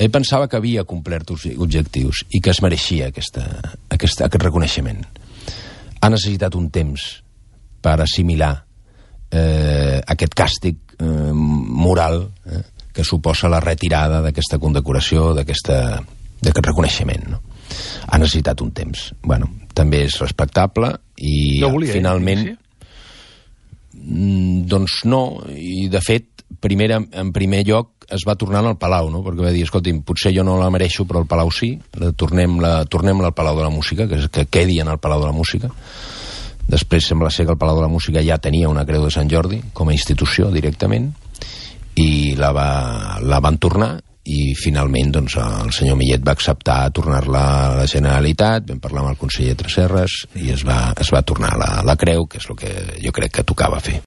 ell pensava que havia complert objectius i que es mereixia aquest reconeixement. Ha necessitat un temps per assimilar aquest càstig moral que suposa la retirada d'aquesta condecoració, d'aquest reconeixement, no? Ha necessitat un temps. Bueno, també és respectable i no volia, finalment... Doncs no, i de fet, en primer lloc es va tornar al Palau, no? Perquè va dir, escolti'm, potser jo no la mereixo, però el Palau sí, tornem-la al Palau de la Música, que quedi en el Palau de la Música. Després sembla ser que el Palau de la Música ja tenia una Creu de Sant Jordi com a institució directament i la van tornar i finalment doncs, el senyor Millet va acceptar tornar-la a la Generalitat, vam parlar amb el conseller Tresserras i es va tornar la creu, que és el que jo crec que tocava fer.